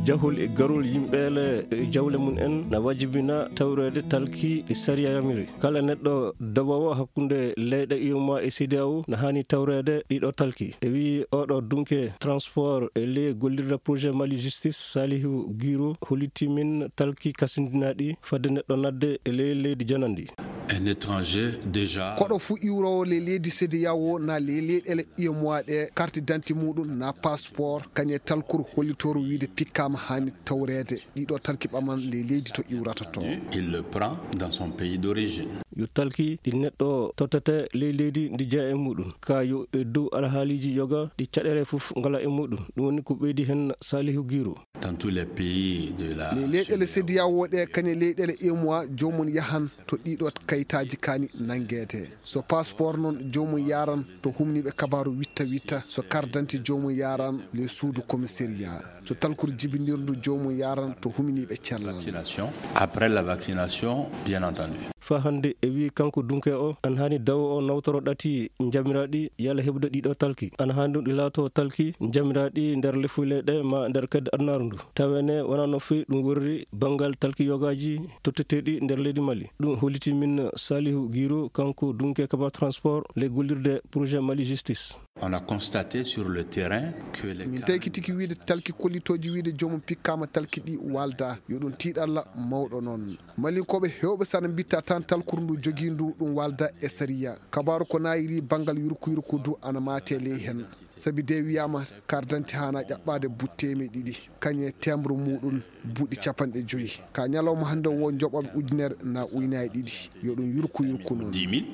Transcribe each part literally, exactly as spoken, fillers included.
Jahol e garol yimɓeele e jawle mum en na wajibina tawreede talki e sariya yamiri. Kala neɗɗo dowoowo hakkunde leyɗe U E M O A e C E D E A O na haani tawreede ɗiɗo talki. E wii oɗo dunke transport e ley gollirde projet Mali Justice, Salihu Giro hollitii min talki kasindinaaɗi fadde neɗɗo nadde e ley leydi janandi. Un étranger déjà. Koɗo fuu iwroowo ley leydi C E D E A O na ley leyɗeele U E M O A ɗe, carte d'identité muɗum na passeport, kañe talkuru hollitoru wiide pikkaama haani tawreede ɗiɗo talki ɓaman ley leydi to iwrata to. Il le prend dans son pays d'origine. Yo talki ɗi neɗɗo tottete ley leydi ndi jeya e muɗum. Ka yo e dow alhaaliiji yoga ɗi caɗeele fof ngala e muɗum. Ɗum woni ko ɓeydi heen Salihu Giro. Dans tous les pays de la ley leyɗeele C E D E A O ɗe, kañe leyɗeele U E M O A, joomum yahan to ɗiɗo kayitaaji kaani nanngeede. So passeport noon, joomum yaran to humniiɓe kabaaru witta witta. So carte d'identité, joomum yaran le suudu commissariat. So talkuru jibinirndu, joomum yaran to humniiɓe cellal. Vaccination. Après la vaccination, bien entendu. Faa hannde e wii kanko dunke o, an haani dawo o nawtoro ɗati njamiraaɗi yalla heɓude ɗiɗo talki. An haani ɗum ɗi laato talki njamiraaɗi nder lefuleɗe ma nder kedde adunaaru ndu. Tawene wonaa no feewi ɗum worri banngal talki yogaaji totteteeɗi nder leydi Mali. Ɗum hollitii min Salihu Giro, kanko dunke kaba transport ley gollirde projet Mali Justice. On a constaté sur le terrain que les Min tawi ki tigi wiide talki kollitooji wiide joomum pikkaama talki ɗi walda. Yo ɗum tiiɗalla mawɗo noon. Malinkooɓe heewɓe sana mbitta tan talkuru ndu jogii ndu ɗum walda e sariya. Kabaaru ko naayiri banngal yurku yurku du ana maate ley heen. Sabi de wiyaama carte d'identité haana ƴaɓɓaade buɗi teemedde ɗiɗi, kañe timbre muɗum buɗi capanɗe joyi. Ka ñalawma hannde wo joɓaɓe ujunere na uynaaji ɗiɗi. Yo ɗum yurku yurku noon. Dix mille,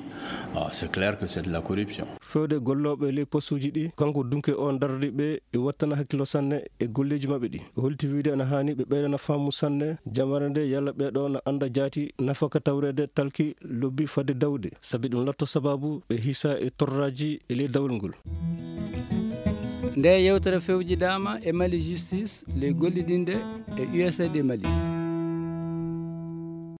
ah, c'est clair que c'est de la corruption. Fewde gollooɓe ley postuuji ɗi, kanko dunke o dardi ɓe e wattana hakkillo sanne e golleeji maɓɓe ɗi. O holti wiide ana haani ɓe ɓeydana faamu sanne jamare nde yalla ɓeeɗo na annda jaati nafaka tawreede talki lobbi fadde dawde. Sabi ɗum latto sababu ɓe hisa e torraaji e ley dawol ngol. Nde yewtere fewjidaama e Mali Justice ley gollidinde e U S A I D Mali.